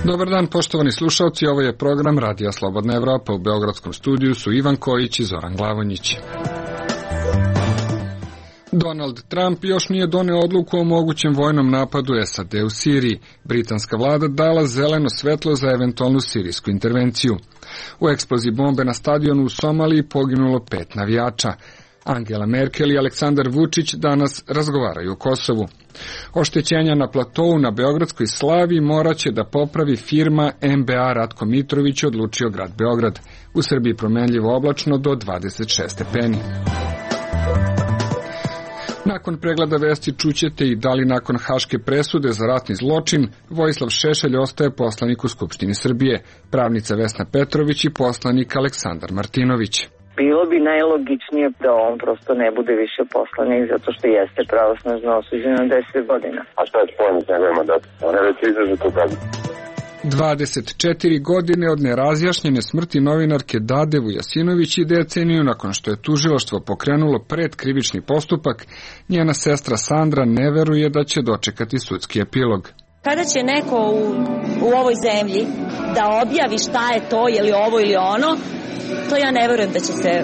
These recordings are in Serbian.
Dobar dan, poštovani slušalci, ovo je program Radija Slobodna Evropa. U beogradskom studiju su Ivan Kojić i Zoran Glavonjić. Donald Trump još nije doneo odluku o mogućem vojnom napadu SAD u Siriji. Britanska vlada dala zeleno svetlo za eventualnu sirijsku intervenciju. U eksploziji bombe na stadionu u Somaliji poginulo 5 navijača. Angela Merkel i Aleksandar Vučić danas razgovaraju o Kosovu. Oštećenja na platovu na Beogradskoj Slaviji moraće da popravi firma MBA Ratko Mitrović, odlučio grad Beograd. U Srbiji promenljivo oblačno do 26 stepeni. Nakon pregleda vesti čućete i da li nakon haške presude za ratni zločin Vojislav Šešelj ostaje poslanik u Skupštini Srbije, pravnica Vesna Petrović i poslanik Aleksandar Martinović. Bilo bi najlogičnije da on prosto ne bude više poslanik, zato što jeste pravosnažno osuđen na 10 godina. A šta je spojenik njegovim mandatom? On je već izrazito kaznu. 24 godine od nerazjašnjene smrti novinarke Dade Vujasinović i deceniju nakon što je tužilaštvo pokrenulo predkrivični postupak, njena sestra Sandra ne veruje da će dočekati sudski epilog. Kada će neko u ovoj zemlji da objavi šta je to, je li ovo ili ono, to ja ne verujem da će se...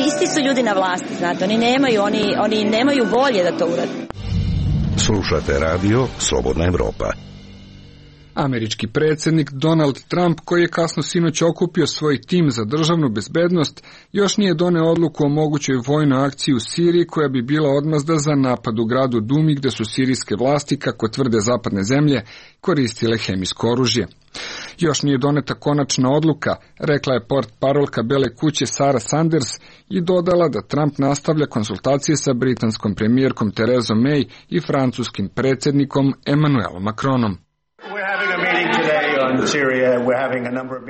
Isti su ljudi na vlasti, znate, oni nemaju volje da to urade. Slušate radio Slobodna Evropa. Američki predsjednik Donald Trump, koji je kasno sinoć okupio svoj tim za državnu bezbednost, još nije doneo odluku o mogućoj vojnoj akciji u Siriji koja bi bila odmazda za napad u gradu Dumi, gde su sirijske vlasti, kako tvrde zapadne zemlje, koristile hemijsko oružje. Još nije doneta konačna odluka, rekla je portparolka Bele kuće Sarah Sanders i dodala da Trump nastavlja konsultacije sa britanskom premijerkom Theresa May i francuskim predsjednikom Emmanuelom Macronom.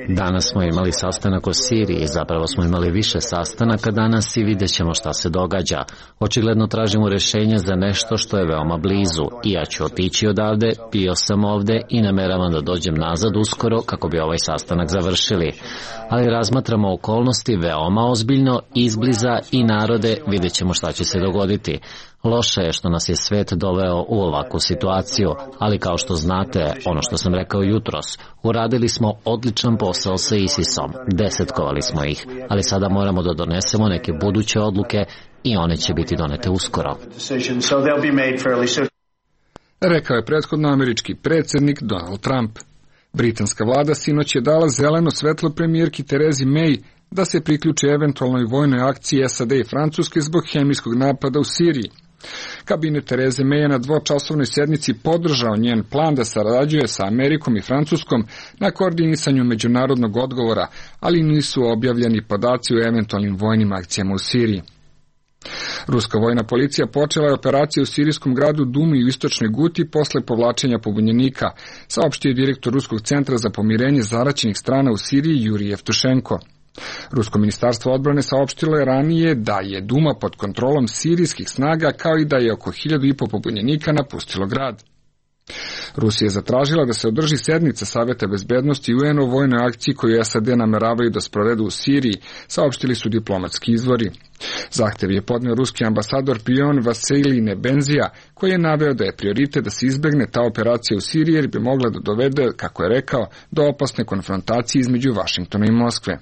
Danas smo imali sastanak o Siriji, zapravo smo imali više sastanaka danas i vidjet ćemo šta se događa. Očigledno tražimo rješenje za nešto što je veoma blizu i ja ću otići odavde, bio sam ovde i nameravam da dođem nazad uskoro kako bi ovaj sastanak završili. Ali razmatramo okolnosti veoma ozbiljno, izbliza i narode, vidjet ćemo šta će se dogoditi. Loše je što nas je svet doveo u ovakvu situaciju, ali kao što znate, ono što sam rekao jutros, uradili smo odličan posao sa ISIS-om, desetkovali smo ih, ali sada moramo da donesemo neke buduće odluke i one će biti donete uskoro. Rekao je prethodno američki predsjednik Donald Trump. Britanska vlada sinoć je dala zeleno svetlo premijerki Theresi May da se priključi eventualnoj vojnoj akciji SAD i Francuske zbog hemijskog napada u Siriji. Kabinet Therese May je na dvočasovnoj sednici podržao njen plan da sarađuje sa Amerikom i Francuskom na koordinisanju međunarodnog odgovora, ali nisu objavljeni podaci o eventualnim vojnim akcijama u Siriji. Ruska vojna policija počela je operaciju u sirijskom gradu Dumi u istočnoj Guti posle povlačenja pobunjenika, saopštio je direktor Ruskog centra za pomirenje zaraćenih strana u Siriji Jurij Jevtušenko. Rusko ministarstvo odbrane saopštilo je ranije da je Duma pod kontrolom sirijskih snaga, kao i da je oko 1.500 pobunjenika napustilo grad. Rusija je zatražila da se održi sednica Saveta bezbednosti UN o vojnoj akciji koju SAD nameravaju da sprovedu u Siriji, saopštili su diplomatski izvori. Zahtev je podneo ruski ambasador Pion Vasilij Nebenzija, koji je naveo da je prioritet da se izbegne ta operacija u Siriji jer bi mogla da dovede, kako je rekao, do opasne konfrontacije između Vašingtona i Moskve.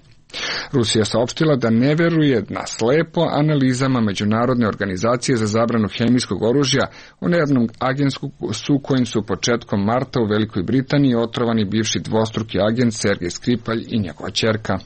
Rusija saopštila da ne veruje na slepo analizama Međunarodne organizacije za zabranu hemijskog oružja o nervnom agentsku su kojim su početkom marta u Velikoj Britaniji otrovani bivši dvostruki agent Sergej Skripalj i njegova ćerka.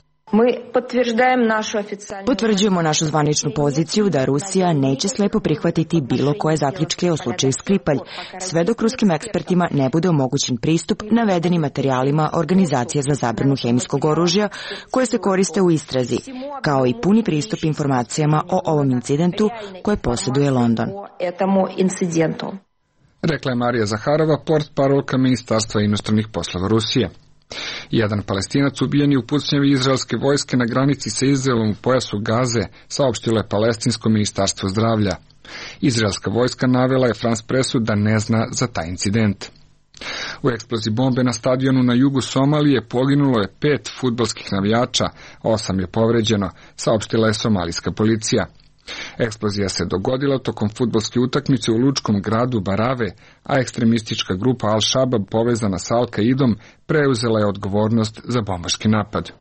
Potvrđujemo našu zvaničnu poziciju da Rusija neće slepo prihvatiti bilo koje zaključke o slučaju Skripalj, sve dok ruskim ekspertima ne bude omogućen pristup navedenim materijalima Organizacije za zabranu hemijskog oružja koje se koriste u istrazi, kao i puni pristup informacijama o ovom incidentu koje posjeduje London. Rekla je Marija Zaharova, portparolka Ministarstva inostranih poslova Rusije. Jedan Palestinac ubijen je u pucnjavi izraelske vojske na granici sa Izraelom u pojasu Gaze, saopštilo je Palestinsko ministarstvo zdravlja. Izraelska vojska navela je France Pressu da ne zna za taj incident. U eksploziji bombe na stadionu na jugu Somalije poginulo je 5 fudbalskih navijača, 8 je povređeno, saopštila je somalijska policija. Eksplozija se dogodila tokom fudbalske utakmice u lučkom gradu Barave, a ekstremistička grupa Al-Shabab povezana sa Al-Kaidom preuzela je odgovornost za bombaški napad.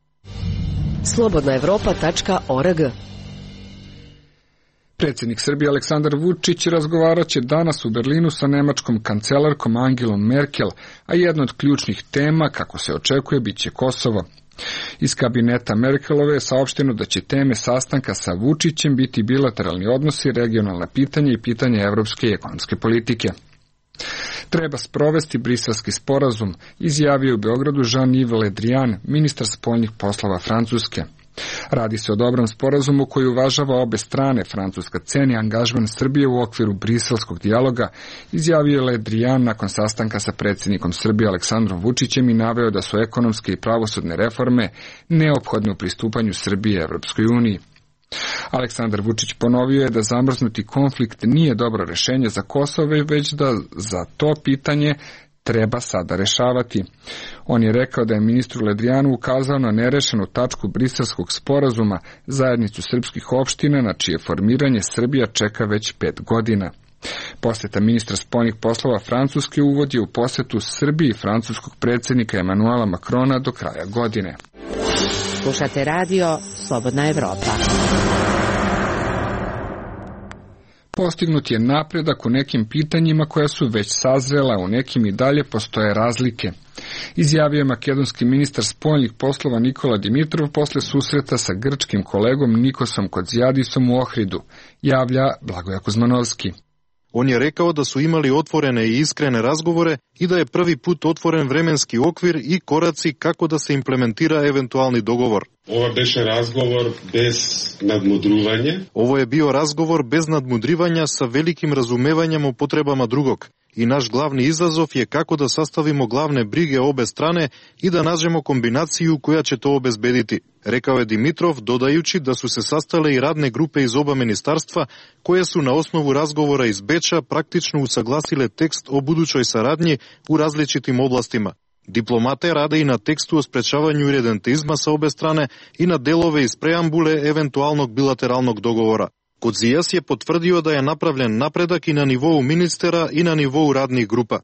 Slobodnaevropa.org. Predsjednik Srbije Aleksandar Vučić razgovarat će danas u Berlinu sa nemačkom kancelarkom Angelom Merkel, a jedna od ključnih tema, kako se očekuje, bit će Kosovo. Iz kabineta Merkelove je saopšteno da će teme sastanka sa Vučićem biti bilateralni odnosi, regionalna pitanja i pitanja evropske i ekonomske politike. Treba sprovesti briselski sporazum, izjavio u Beogradu Jean-Yves Le Drian, ministar spoljnih poslova Francuske. Radi se o dobrom sporazumu koji uvažava obe strane. Francuska ceni angažman Srbije u okviru briselskog dijaloga, izjavio je Le Drian nakon sastanka sa predsjednikom Srbije Aleksandrom Vučićem i naveo da su ekonomske i pravosudne reforme neophodne u pristupanju Srbije Evropskoj uniji. Aleksandar Vučić ponovio je da zamrznuti konflikt nije dobro rešenje za Kosovo, već da za to pitanje treba sada rešavati. On je rekao da je ministru Ledrijanu ukazao na nerešenu tačku briselskog sporazuma, zajednicu srpskih opština, na čije formiranje Srbija čeka već 5 godina. Poseta ministra spoljnih poslova Francuske uvodi u posetu Srbiji francuskog predsjednika Emanuela Macrona do kraja godine. Slušate radio Slobodna Evropa. Postignut je napredak u nekim pitanjima koja su već sazrela, u nekim i dalje postoje razlike, izjavio je makedonski ministar spoljnih poslova Nikola Dimitrov posle susreta sa grčkim kolegom Nikosom Kodziadisom u Ohridu, javlja Blagoja Kuzmanovski. On je rekao da su imali otvorene i iskrene razgovore i da je prvi put otvoren vremenski okvir i koraci kako da se implementira eventualni dogovor. Ovo je bio razgovor bez nadmudrivanja sa velikim razumevanjem o potrebama drugog. I naš glavni izazov je kako da sastavimo glavne brige obe strane i da nađemo kombinaciju koja će to obezbediti, rekao je Dimitrov, dodajući da su se sastale i radne grupe iz oba ministarstva koje su na osnovu razgovora iz Beča praktično usaglasile tekst o budućoj saradnji u različitim oblastima. Diplomate rade i na tekstu o sprečavanju iredentizma sa obe strane i na delove iz preambule eventualnog bilateralnog dogovora. Kodzijas je potvrdio da je napravljen napredak i na nivou ministera i na nivou radnih grupa.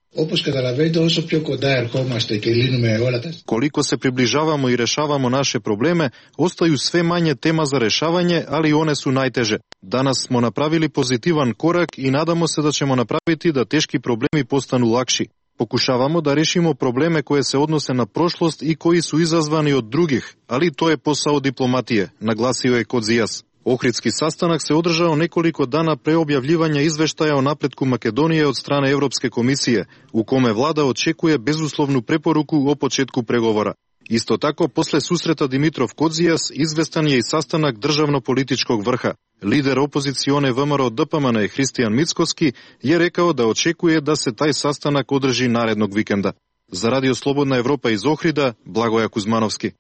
Koliko se približavamo i rešavamo naše probleme, ostaju sve manje tema za rešavanje, ali one su najteže. Danas smo napravili pozitivan korak i nadamo se da ćemo napraviti da teški problemi postanu lakši. Pokušavamo da rešimo probleme koje se odnose na prošlost i koji su izazvani od drugih, ali to je posao diplomatije, naglasio je Kodzijas. Ohridski sastanak se održao nekoliko dana pre objavljivanja izveštaja o napretku Makedonije od strane Evropske komisije, u kome vlada očekuje bezuslovnu preporuku o početku pregovora. Isto tako, posle susreta Dimitrov Kodzijas, izvestan je i sastanak državno-političkog vrha. Lider opozicione VMRO DPMN Hristijan Mickoski je rekao da očekuje da se taj sastanak održi narednog vikenda. Za Radio Slobodna Evropa iz Ohrida, Blagoja Kuzmanovski.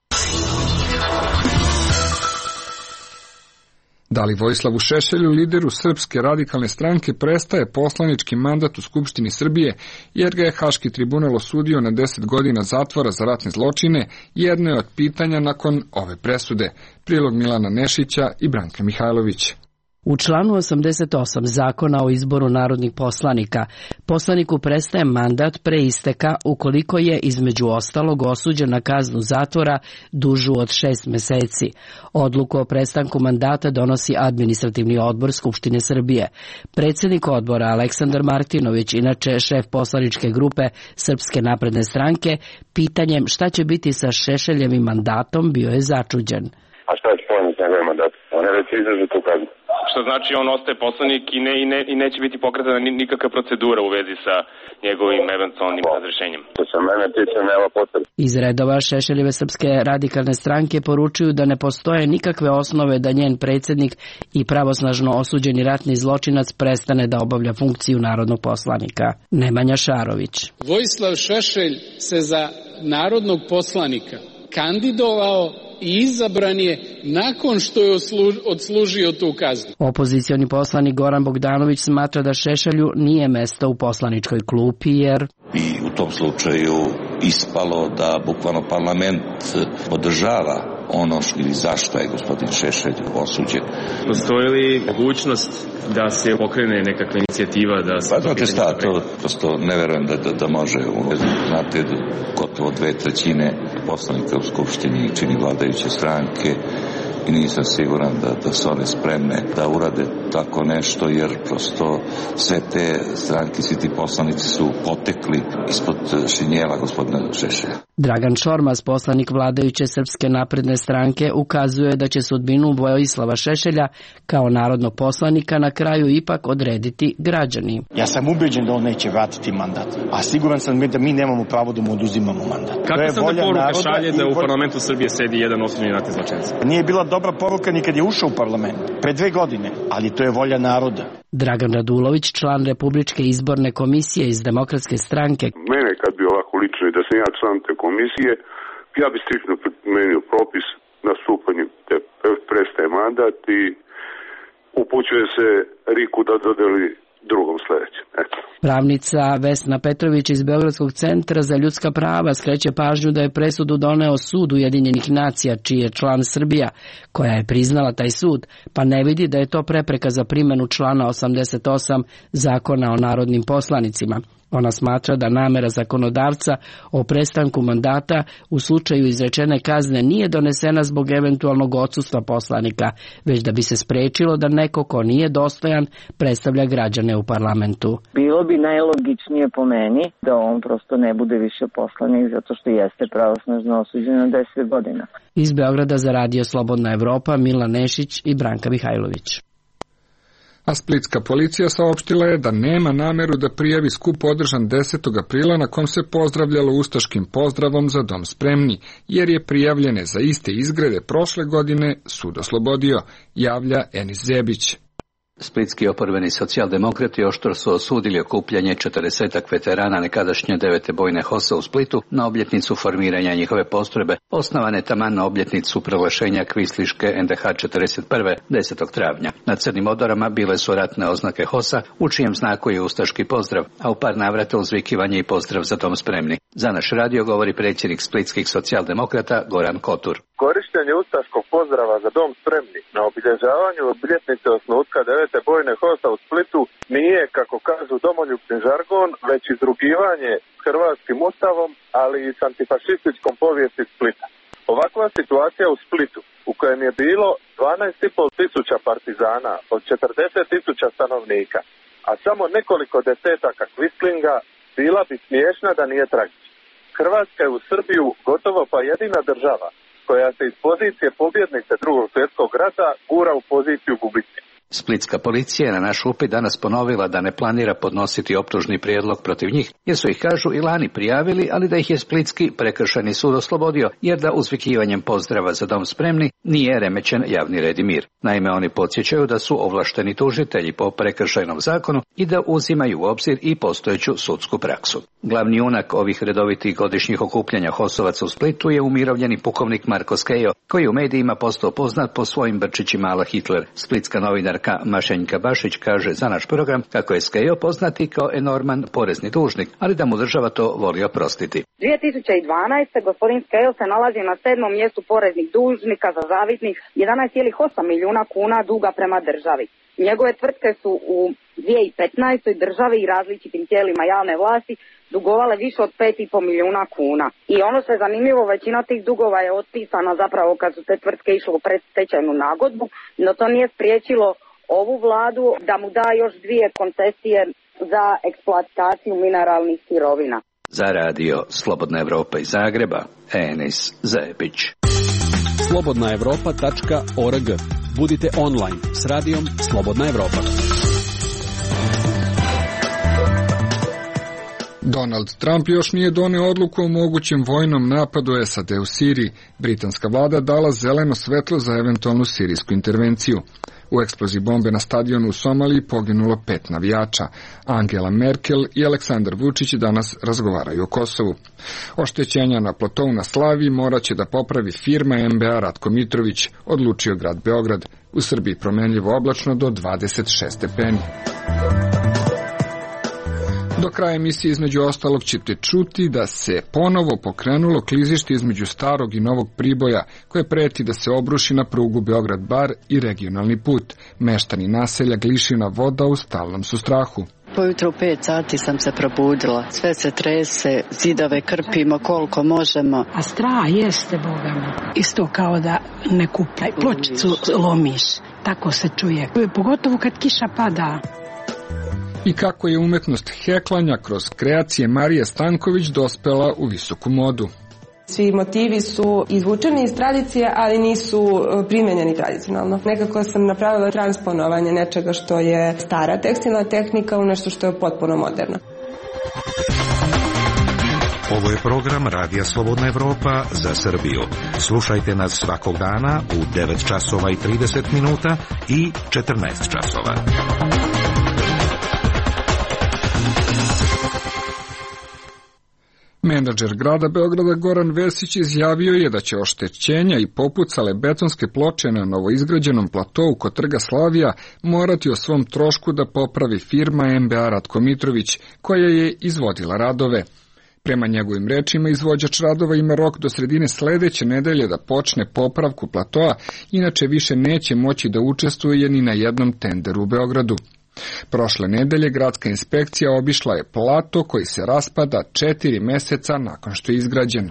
Da li Vojislavu Šešelju, lideru Srpske radikalne stranke, prestaje poslanički mandat u Skupštini Srbije, jer ga je Haški tribunal osudio na 10 godina zatvora za ratne zločine, jedno je od pitanja nakon ove presude. Prilog Milana Nešića i Branka Mihajlović. U članu 88 Zakona o izboru narodnih poslanika, poslaniku prestaje mandat pre isteka ukoliko je između ostalog osuđen na kaznu zatvora dužu od 6 meseci. Odluku o prestanku mandata donosi Administrativni odbor Skupštine Srbije. Predsjednik odbora Aleksandar Martinović, inače šef poslaničke grupe Srpske napredne stranke, pitanjem šta će biti sa Šešeljevim mandatom bio je začuđen. A šta je spojeno s njegovim mandatom? On je već izdržao tu kaznu. Što znači on ostaje poslanik i neće biti pokretana nikakva procedura u vezi sa njegovim eventualnim razrešenjem. To se mene tiče, nema potrebe. Iz redova Šešeljeve Srpske radikalne stranke poručuju da ne postoje nikakve osnove da njen predsjednik i pravosnažno osuđeni ratni zločinac prestane da obavlja funkciju narodnog poslanika. Nemanja Šarović. Vojislav Šešelj se za narodnog poslanika kandidovao i izabran je nakon što je odslužio tu kaznu. Opozicioni poslanik Goran Bogdanović smatra da Šešelju nije mesto u poslaničkoj klupi jer bi u tom slučaju ispalo da bukvalno parlament podržava ono ili zašto je gospodin Šešelj osuđen. Postoji li mogućnost da se pokrene nekakva inicijativa da se... Pa znate šta, to prosto ne verujem da može. Znate, gotovo 2/3 poslanika u Skupštini čini vladajuće stranke i nisam siguran da su one spremne da urade tako nešto, jer prosto sve te stranke, svi ti poslanici su potekli ispod šinjela gospodina Šešelja. Dragan Šormaz, poslanik vladajuće Srpske napredne stranke, ukazuje da će sudbinu Vojislava Šešelja kao narodnog poslanika na kraju ipak odrediti građani. Ja sam ubeđen da on neće vratiti mandat, a siguran sam da mi nemamo pravo da mu oduzimamo mandat. Kako se onda poruka šalje da u parlamentu Srbije sedi jedan osuđeni ratni zločinac? Nije bila dobra poruka ni kad je ušao u parlament, pre 2 godine, ali to je volja naroda. Dragan Radulović, član Republičke izborne komisije iz Demokratske stranke. Mene kad bi ovako lično i da sam ja član te komisije, ja bi striktno primenio propis, nastupanje prestaje mandat i upućuje se Riku da dodeli drugom sledećem. Eto. Pravnica Vesna Petrović iz Beogradskog centra za ljudska prava skreće pažnju da je presudu doneo Sud Ujedinjenih nacija, čiji je član Srbija, koja je priznala taj sud, pa ne vidi da je to prepreka za primjenu člana 88 Zakona o narodnim poslanicima. Ona smatra da namera zakonodavca o prestanku mandata u slučaju izrečene kazne nije donesena zbog eventualnog odsustva poslanika, već da bi se sprečilo da neko ko nije dostojan predstavlja građane u parlamentu. Bilo bi najlogičnije po meni da on prosto ne bude više poslanik zato što jeste pravosnažno osuđen na 10 godina. Iz Beograda za Radio Slobodna Evropa, Milan Nešić i Branka Mihajlović. A splitska policija saopštila je da nema nameru da prijavi skup održan 10. aprila na kom se pozdravljalo ustaškim pozdravom za dom spremni, jer je prijavljene za iste izgrede prošle godine sud oslobodio, javlja Enis Zebić. Splitski oporbeni socijaldemokrati oštro su osudili okupljanje 40 veterana nekadašnje 9. bojne HOS-a u Splitu na obljetnicu formiranja njihove postrojbe, osnovane taman na obljetnicu proglašenja kvisliške NDH 41. 10. travnja. Na crnim odorama bile su ratne oznake HOS-a, u čijem znaku je ustaški pozdrav, a u par navrata uzvikivanje i pozdrav za dom spremni. Za naš radio govori predsjednik splitskih socijaldemokrata Goran Kotur. Korištenje ustaškog pozdrava za dom spremni na obilježavanju obljetnice osnutka 9. bojne HOS-a u Splitu nije, kako kažu domoljubni žargon, već izrugivanje s hrvatskim ustavom, ali i s antifašističkom povijesti Splita. Ovakva situacija u Splitu, u kojem je bilo 12,5 tisuća partizana od 40 tisuća stanovnika, a samo nekoliko desetaka kvislinga, bila bi smiješna da nije tragična. Hrvatska je u Srbiju gotovo pa jedina država koja se iz pozicije pobjednice Drugog svjetskog rata gura u poziciju gubitnika. Splitska policija je na naš upit danas ponovila da ne planira podnositi optužni prijedlog protiv njih, jer su ih, kažu, i lani prijavili, ali da ih je Splitski prekršajni sud oslobodio, jer da uzvikivanjem pozdrava za dom spremni nije remećen javni red i mir. Naime, oni podsjećaju da su ovlašteni tužitelji po prekršajnom zakonu i da uzimaju u obzir i postojeću sudsku praksu. Glavni junak ovih redovitih godišnjih okupljanja HOS-ovaca u Splitu je umirovljeni pukovnik Marko Skejo, koji u medijima postao poznat po svojim brčićima ala Hitler. Splitska novinarka Mašenjka Bašić kaže za naš program kako je Skejo poznati kao enorman porezni dužnik, ali da mu država to voli oprostiti. 2012. gospodin Skejo se nalazi na 7. mjestu poreznih dužnika za zavidnih 11,8 milijuna kuna duga prema državi. Njegove tvrtke su u 2015. državi i različitim tijelima javne vlasti dugovale više od 5,5 milijuna kuna. I ono što je zanimljivo, većina tih dugova je otpisana zapravo kad su te tvrtke išle u predstečajnu nagodbu, no to nije spriječilo ovu vladu da mu da još 2 koncesije za eksploataciju mineralnih sirovina. Za radio Slobodna Evropa iz Zagreba, Enis Zebić. slobodnaevropa.org. Budite online s radijom Slobodna Evropa. Donald Trump još nije doneo odluku o mogućem vojnom napadu SAD u Siriji. Britanska vlada dala zeleno svetlo za eventualnu sirijsku intervenciju. U eksploziji bombe na stadionu u Somaliji poginulo 5 navijača. Angela Merkel i Aleksandar Vučić danas razgovaraju o Kosovu. Oštećenja na platovu na Slaviji moraće da popravi firma MBA Ratko Mitrović, odlučio grad Beograd. U Srbiji promenljivo oblačno do 26 stepeni. Do kraja emisije između ostalog ćete čuti da se ponovo pokrenulo klizište između starog i novog Priboja, koje preti da se obruši na prugu Beograd-Bar i regionalni put. Meštani naselja Glišina Voda u stalnom su strahu. Pojutro u 5 sati sam se probudila. Sve se trese, zidove krpimo koliko možemo. A strah jeste, Boga mi. Isto kao da ne kupaj. Pločicu lomiš. Tako se čuje. Pogotovo kad kiša pada. I kako je umetnost heklanja kroz kreacije Marije Stanković dospela u visoku modu. Svi motivi su izvučeni iz tradicije, ali nisu primenjeni tradicionalno. Nekako sam napravila transponovanje nečega što je stara tekstilna tehnika u nešto što je potpuno moderno. Ovo je program Radija Slobodna Evropa za Srbiju. Slušajte nas svakog dana u 9 časova i 30 minuta i 14 časova. Menadžer grada Beograda Goran Vesić izjavio je da će oštećenja i popucale betonske ploče na novoizgrađenom platou kod Trga Slavija morati o svom trošku da popravi firma MBA Ratko Mitrović, koja je izvodila radove. Prema njegovim rečima, izvođač radova ima rok do sredine sledeće nedelje da počne popravku platoa, inače više neće moći da učestvuje ni na jednom tenderu u Beogradu. Prošle nedelje gradska inspekcija obišla je plato koji se raspada 4 meseca nakon što je izgrađen.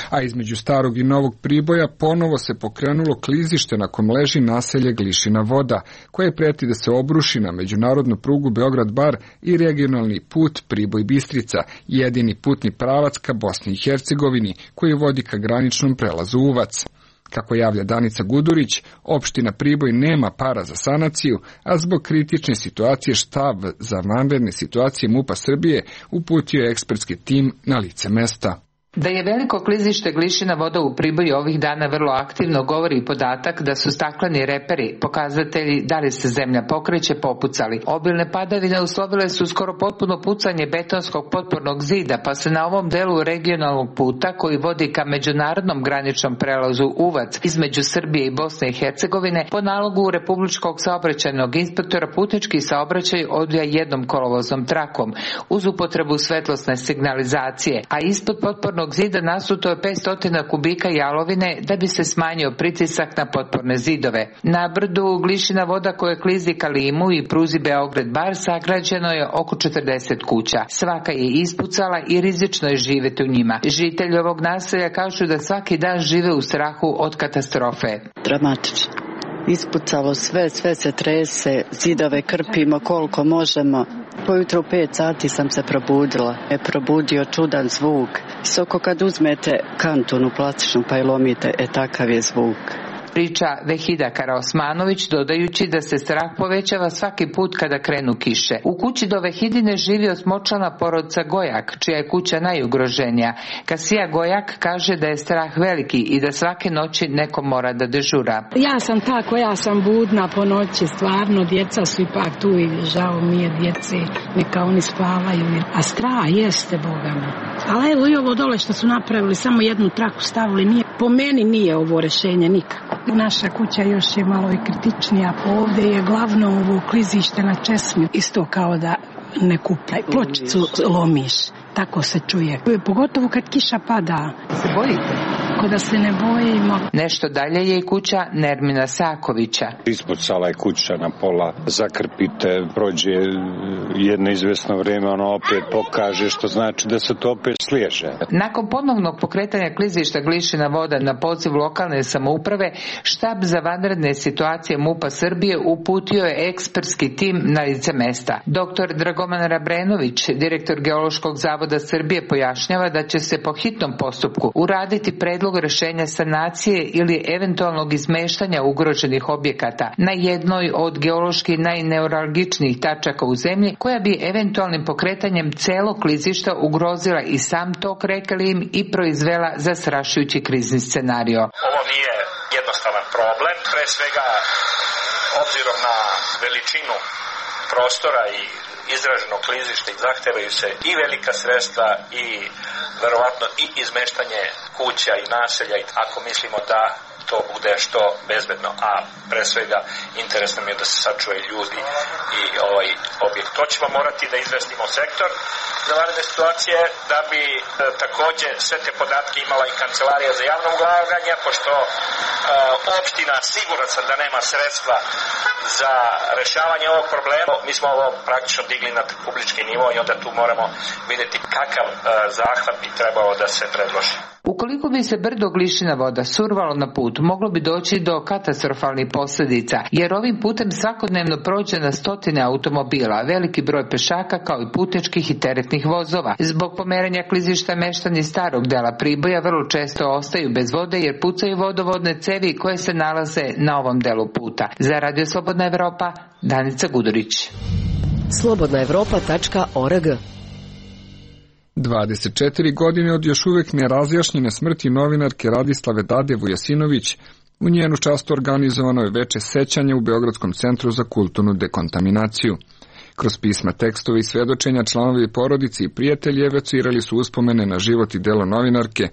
A između starog i novog Priboja ponovo se pokrenulo klizište na kom leži naselje Glišina Voda, koje preti da se obruši na međunarodnu prugu Beograd-Bar i regionalni put Priboj-Bistrica, jedini putni pravac ka Bosni i Hercegovini koji vodi ka graničnom prelazu Uvac. Kako javlja Danica Gudurić, opština Priboj nema para za sanaciju, a zbog kritične situacije štab za vanredne situacije MUP-a Srbije uputio je ekspertski tim na lice mesta. Da je veliko klizište Glišina Voda u Priboju ovih dana vrlo aktivno govori i podatak da su stakleni reperi, pokazatelji da li se zemlja pokreće, popucali. Obilne padavine uslovile su skoro potpuno pucanje betonskog potpornog zida, pa se na ovom delu regionalnog puta koji vodi ka međunarodnom graničnom prelazu Uvac između Srbije i Bosne i Hercegovine po nalogu Republičkog saobraćajnog inspektora putnički saobraćaj odvija jednom kolovoznom trakom uz upotrebu svetlosne signalizacije, a ispod potpornog zida nasuto je 500 kubika jalovine da bi se smanjio pritisak na potporne zidove. Na brdu Glišina Voda koje klizi ka Limu i pruzi Beograd-Bar sagrađeno je oko 40 kuća. Svaka je ispucala i rizično je živjeti u njima. Žitelji ovog naselja kažu da svaki dan žive u strahu od katastrofe. Dramatično. Ispucalo sve se trese, zidove krpimo koliko možemo. Pojutro u 5 sati sam se probudila. Probudio čudan zvuk. Soko kad uzmete kantunu plastičnu pa je lomite, takav je zvuk. Priča Vehida Karaosmanović, dodajući da se strah povećava svaki put kada krenu kiše. U kući do Vehidine živi osmočlana porodica Gojak, čija je kuća najugroženija. Kasija Gojak kaže da je strah veliki i da svake noći neko mora da dežura. Ja sam ta koja sam budna po noći, stvarno, djeca su ipak tu i žao mi je djece, neka oni spavaju. A strah jeste, Boga mi. Ali evo i ovo dole što su napravili, samo jednu traku stavili, po meni nije ovo rješenje nikako. Naša kuća još je malo i kritičnija, ovdje je glavno ovo klizište na česmi, isto kao da ne kupaj. Pločicu lomiš, tako se čuje. Pogotovo kad kiša pada. Se bojite? Ko da se ne bojimo. Nešto dalje je i kuća Nermina Sakovića. Ispucala je kuća na pola, zakrpite, prođe jedno izvesno vrijeme, ono opet pokaže, što znači da se to opet sliježe. Nakon ponovnog pokretanja klizišta Glišina Voda na poziv lokalne samouprave, štab za vanredne situacije MUP-a Srbije uputio je ekspertski tim na lice mesta. Dr. Dragoman Rabrenović, direktor Geološkog zavoda Srbije, pojašnjava da će se po hitnom postupku uraditi predlog rješenja sanacije ili eventualnog izmeštanja ugroženih objekata na jednoj od geološki najneuralgičnijih tačaka u zemlji, koja bi eventualnim pokretanjem celog klizišta ugrozila i sam tok reke Lim i proizvela zastrašujući krizni scenario. Ovo nije jednostavan problem, pre svega obzirom na veličinu prostora i izraženo klizište zahtevaju se i velika sredstva i verovatno i izmeštanje kuća i naselja, ako mislimo da to bude što bezbedno, a pre svega interes nam je da se sačuvaju ljudi i ovaj objekt. To ćemo morati da izvestimo sektor za vanredne situacije, da bi takođe sve te podatke imala i Kancelarija za javno ulaganje, pošto opština siguran sam da nema sredstva za rešavanje ovog problema. Mi smo ovo praktično digli na publički nivo i onda tu moramo videti kakav zahvat bi trebao da se predloži. Ukoliko bi se brdo Glišina voda survalo na put, moglo bi doći do katastrofalnih posljedica, jer ovim putem svakodnevno prođe na stotine automobila, veliki broj pešaka kao i putničkih i teretnih vozova. Zbog pomeranja klizišta meštani starog dela Priboja vrlo često ostaju bez vode jer pucaju vodovodne cevi koje se nalaze na ovom delu puta. Za Radio Slobodna Evropa, Danica Gudurić. slobodnaevropa.org 24 godine od još uvek nerazjašnjene smrti novinarke Radislave Dade Vujasinović, u njenu čast organizovano je veče sećanje u Beogradskom centru za kulturnu dekontaminaciju. Kroz pisma, tekstove i svedočenja članovi porodice i prijatelji evocirali su uspomene na život i delo novinarke,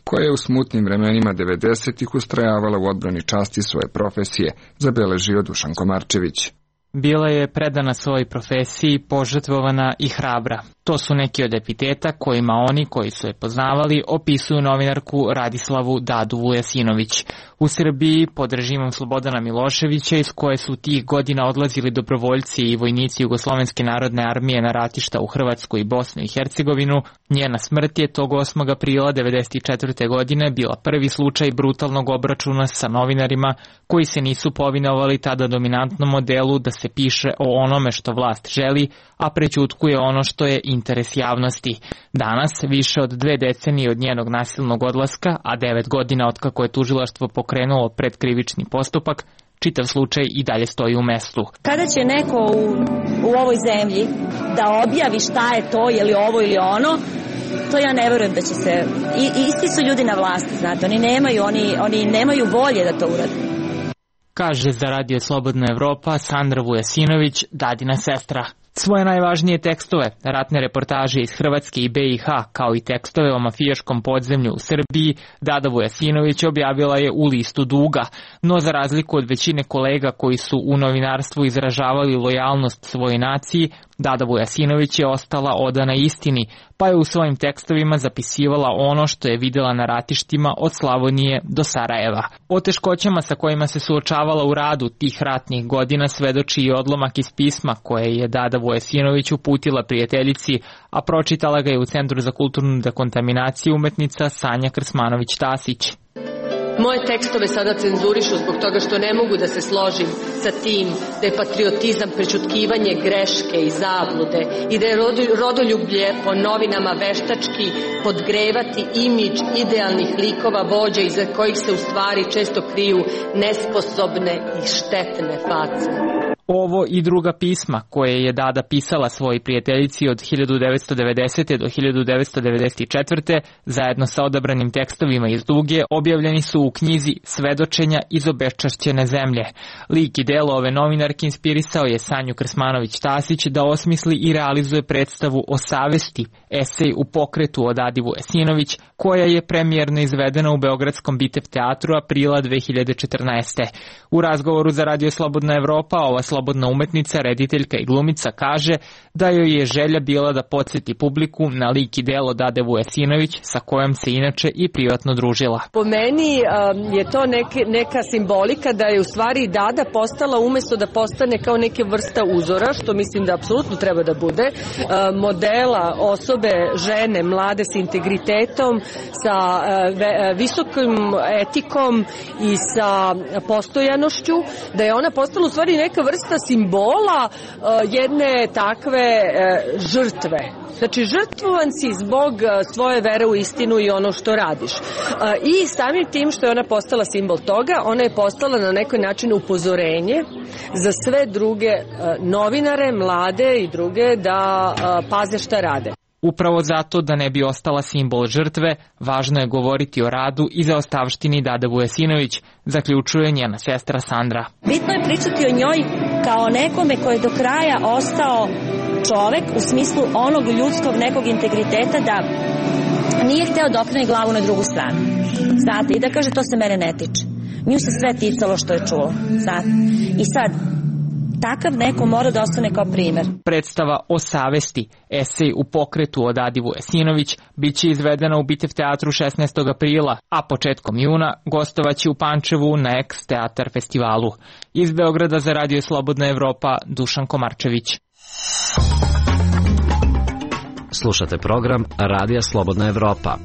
koja je u smutnim vremenima 90-ih ustrajavala u odbrani časti svoje profesije, zabeležio Dušan Komarčević. Bila je predana svojoj profesiji, požrtvovana i hrabra. To su neki od epiteta kojima oni koji su je poznavali opisuju novinarku Radislavu Dadu Vujasinović. U Srbiji, pod režimom Slobodana Miloševića, iz koje su tih godina odlazili dobrovoljci i vojnici Jugoslovenske narodne armije na ratišta u Hrvatsku i Bosnu i Hercegovinu, njena smrt je tog 8. aprila 1994. godine bila prvi slučaj brutalnog obračuna sa novinarima koji se nisu povinovali tada dominantnom modelu da se piše o onome što vlast želi, a prećutkuje ono što je interes javnosti. Danas, više od 2 decenije od njenog nasilnog odlaska, a 9 godina od kako je tužilaštvo pokrenulo predkrivični postupak, čitav slučaj i dalje stoji u mestu. Kada će neko u ovoj zemlji da objavi šta je to, je li ovo ili ono, to ja ne verujem da će se... Isti su ljudi na vlasti, znate, oni nemaju volje da to urade. Kaže za Radio Slobodna Evropa Sandra Vujasinović, Dadina sestra. Svoje najvažnije tekstove, ratne reportaže iz Hrvatske i BiH, kao i tekstove o mafijaškom podzemlju u Srbiji, Dada Vujasinović objavila je u Listu duga, no za razliku od većine kolega koji su u novinarstvu izražavali lojalnost svojoj naciji, Dada Vujasinović je ostala odana istini, pa je u svojim tekstovima zapisivala ono što je videla na ratištima od Slavonije do Sarajeva. O teškoćama sa kojima se suočavala u radu tih ratnih godina svedoči i odlomak iz pisma koje je Dada Vujasinović uputila prijateljici, a pročitala ga je u Centru za kulturnu dekontaminaciju umetnica Sanja Krsmanović-Tasić. Moje tekstove sada cenzurišu zbog toga što ne mogu da se složim sa tim da je patriotizam prećutkivanje greške i zablude i da je rodoljublje po novinama veštački podgrevati imidž idealnih likova vođa iza kojih se u stvari često kriju nesposobne i štetne face. Ovo i druga pisma koje je Dada pisala svojoj prijateljici od 1990. do 1994. zajedno sa odabranim tekstovima iz duge objavljeni su u knjizi Svedočenja iz obeščašćene zemlje. Lik i delo ove novinarke inspirisao je Sanju Krsmanović-Tasić da osmisli i realizuje predstavu o savesti, esej u pokretu o Dadi Vujasinović, koja je premijerno izvedena u Beogradskom Bitev teatru aprila 2014. U razgovoru za Radio Slobodna Evropa ova slobodna umetnica, rediteljka i glumica kaže da joj je želja bila da podsjeti publiku na lik i delo Dade Vujasinović sa kojom se inače i privatno družila. Po meni je to neka simbolika da je u stvari Dada postala, umesto da postane kao neke vrsta uzora, što mislim da apsolutno treba da bude, modela osobe, žene, mlade s integritetom, sa visokom etikom i sa postojanošću, da je ona postala u stvari neka vrsta simbola jedne takve žrtve. Znači, žrtvovan si zbog svoje vere u istinu i ono što radiš. I samim tim što je ona postala simbol toga, ona je postala na neki način upozorenje za sve druge novinare, mlade i druge da paze šta rade. Upravo zato da ne bi ostala simbol žrtve, važno je govoriti o radu i zaostavštini Dade Vujasinović, zaključuje njena sestra Sandra. Bitno je pričati o njoj kao nekome ko je do kraja ostao čovek u smislu onog ljudskog nekog integriteta da nije hteo da okrene glavu na drugu stranu. Znate, i da kaže to se mene ne tiče. Nju se sve ticalo što je čulo. Znate? I sad, takav neko mora da ostane kao primer. Predstava O savesti, esej u pokretu od Adi Vujasinović, bit će izvedena u Bitev teatru 16. aprila, a početkom juna gostovaće u Pančevu na Eks teatar festivalu. Iz Beograda za Radio Slobodna Evropa, Dušan Komarčević. Slušate program Radija Slobodna Evropa.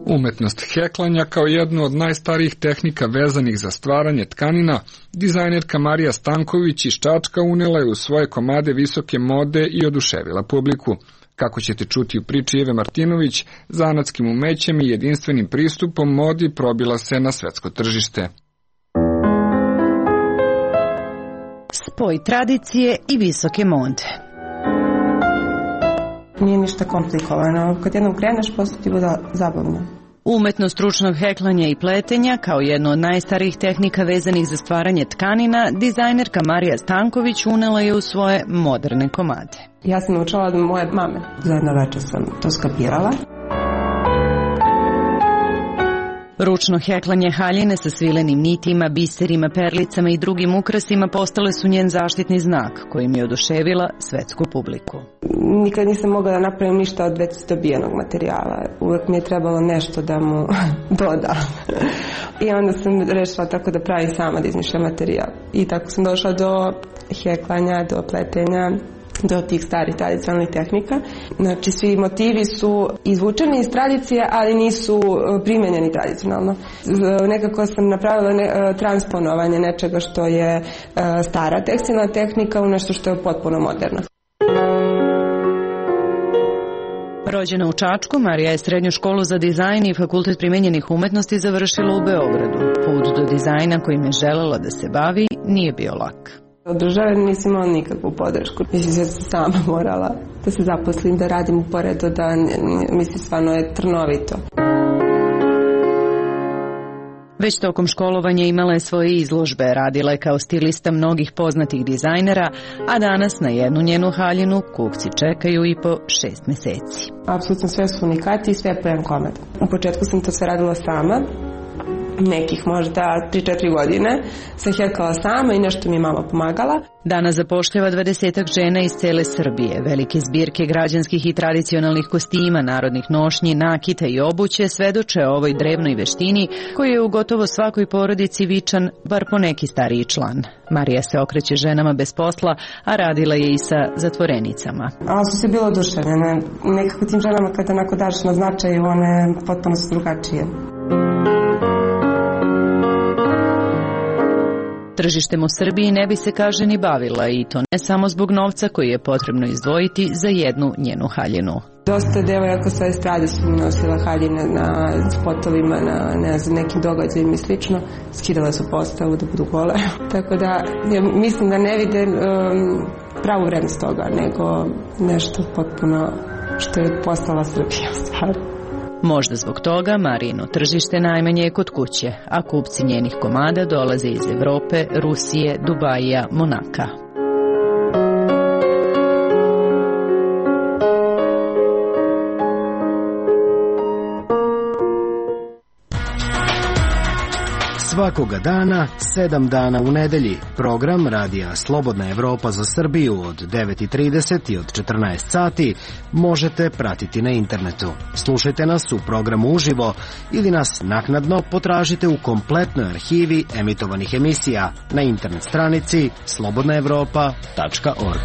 Umetnost heklanja kao jednu od najstarijih tehnika vezanih za stvaranje tkanina, dizajnerka Marija Stanković iz Čačka unela je u svoje komade visoke mode i oduševila publiku. Kako ćete čuti u priči Eve Martinović, zanatskim umećem i jedinstvenim pristupom modi probila se na svetsko tržište. Spoj tradicije i visoke mode. Nije ništa komplikovano. Kad jednom kreneš, posle ti bude zabavno. Umetnost ručnog heklanja i pletenja, kao jedno od najstarijih tehnika vezanih za stvaranje tkanina, dizajnerka Marija Stanković unela je u svoje moderne komade. Ja sam naučila od moje mame. Za jedno večer sam to skapirala. Ručno heklanje haljine sa svilenim nitima, biserima, perlicama i drugim ukrasima postale su njen zaštitni znak, kojim je oduševila svetsku publiku. Nikad nisam mogla da napravim ništa od već dobijenog materijala. Uvek mi je trebalo nešto da mu dodam. I onda sam rešila tako da pravim sama, da izmišljam materijal. I tako sam došla do heklanja, do pletenja, do tih starih tradicionalnih tehnika. Znači, svi motivi su izvučeni iz tradicije, ali nisu primenjeni tradicionalno. Nekako sam napravila transponovanje nečega što je stara tekstilna tehnika u nešto što je potpuno moderno. Rođena u Čačku, Marija je srednju školu za dizajn i fakultet primenjenih umetnosti završila u Beogradu. Put do dizajna kojim je želela da se bavi nije bio lak. Od države nisam imala nikakvu podršku. Mislim da sam sama morala da se zaposlim, da radim uporedo, da mislim stvarno je trnovito. Već tokom školovanja imala je svoje izložbe, radila je kao stilista mnogih poznatih dizajnera, a danas na jednu njenu haljinu kupci čekaju i po 6 meseci. Apsolutno sve su unikati i sve po jedan komad. U početku sam to sve radila sama, nekih možda 3-4 godine sam hetkala sama i nešto mi je mama pomagala. Danas zapošljava 20-ak žena iz cele Srbije. Velike zbirke građanskih i tradicionalnih kostima, narodnih nošnji, nakita i obuće svedoče o ovoj drevnoj veštini koji je u gotovo svakoj porodici vičan, bar po neki stariji član. Marija se okreće ženama bez posla, a radila je i sa zatvorenicama. Ali su se bilo oduševljene. Nekako tim ženama kada onako daš na značaju, one potpuno su drugačije. Tržištem u Srbiji ne bi se, kaže, ni bavila, i to ne samo zbog novca koji je potrebno izdvojiti za jednu njenu haljinu. Dosta devojaka sa estrade su nosila haljine na spotovima, na nekim događajima i slično. Skidala su postavu da budu gole. Tako da mislim da ne vide pravu vrednost toga, nego nešto potpuno što je postala Srbija stvar. Možda zbog toga Marijino tržište najmanje je kod kuće, a kupci njenih komada dolaze iz Evrope, Rusije, Dubaija, Monaka. Svakoga dana, 7 dana u nedelji, program Radija Slobodna Evropa za Srbiju od 9:30 i od 14 sati možete pratiti na internetu. Slušajte nas u programu uživo ili nas naknadno potražite u kompletnoj arhivi emitovanih emisija na internet stranici slobodnaevropa.org.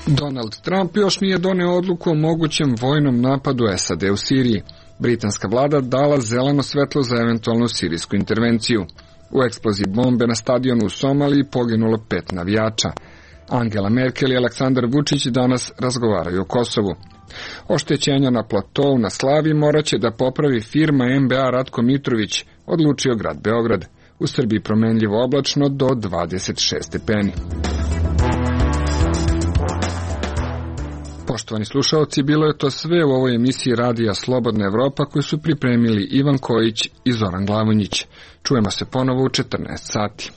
Donald Trump još nije doneo odluku o mogućem vojnom napadu SAD u Siriji. Britanska vlada dala zeleno svetlo za eventualnu sirijsku intervenciju. U eksploziji bombe na stadionu u Somaliji poginulo 5 navijača. Angela Merkel i Aleksandar Vučić danas razgovaraju o Kosovu. Oštećenja na platovu na Slavi moraće da popravi firma MBA Ratko Mitrović, odlučio grad Beograd. U Srbiji promenljivo oblačno do 26 stepeni. Poštovani slušalci, bilo je to sve u ovoj emisiji Radija Slobodna Evropa koju su pripremili Ivan Kojić i Zoran Glavonjić. Čujemo se ponovo u 14 sati.